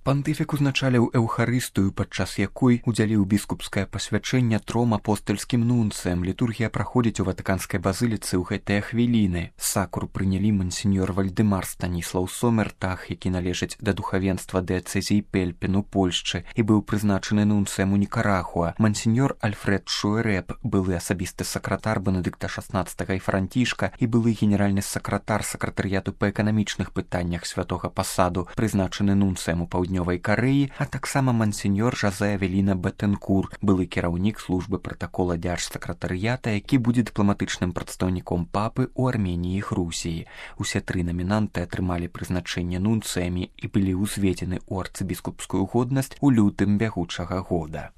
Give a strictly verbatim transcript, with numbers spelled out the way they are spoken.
Пантыфік узначаліў эўхарыстыю, падчас якой удзяліў біскупскае пасвячэнне тром апостальскім нунцыям. Літургія праходзіць у ватыканскай базыліцы ў гэтыя хвіліны. Сакру прынялі мансіньор Вальдэмар Станіслаў Сомертах, які належыць да духавенства дыяцэзіі Пельпін у Польшчы і быў прызначаны нунцыем у Нікарагуа. Мансіньор Альфред Шуэрэб, былы асабісты сакратар Бенедыкта шаснаццатага і Францішка і былы генеральны сакратар сакратарыяту па эканамічных пытаннях святога пасаду, прызначаны нунцыем у паўднёвай Карэі, а таксама мансіньор Жазэ Авеліна Бетэнкур, былы кіраўнік службы пратакола дзяржсакратарыята, які будзе дыпламатычным прадстаўніком папы ў Арменіі і Грузіі. Усе тры намінанты атрымалі прызначэнне нунцыямі і былі ўзведзены ў арцыбіскупскую годнасць у лютым бягучага года.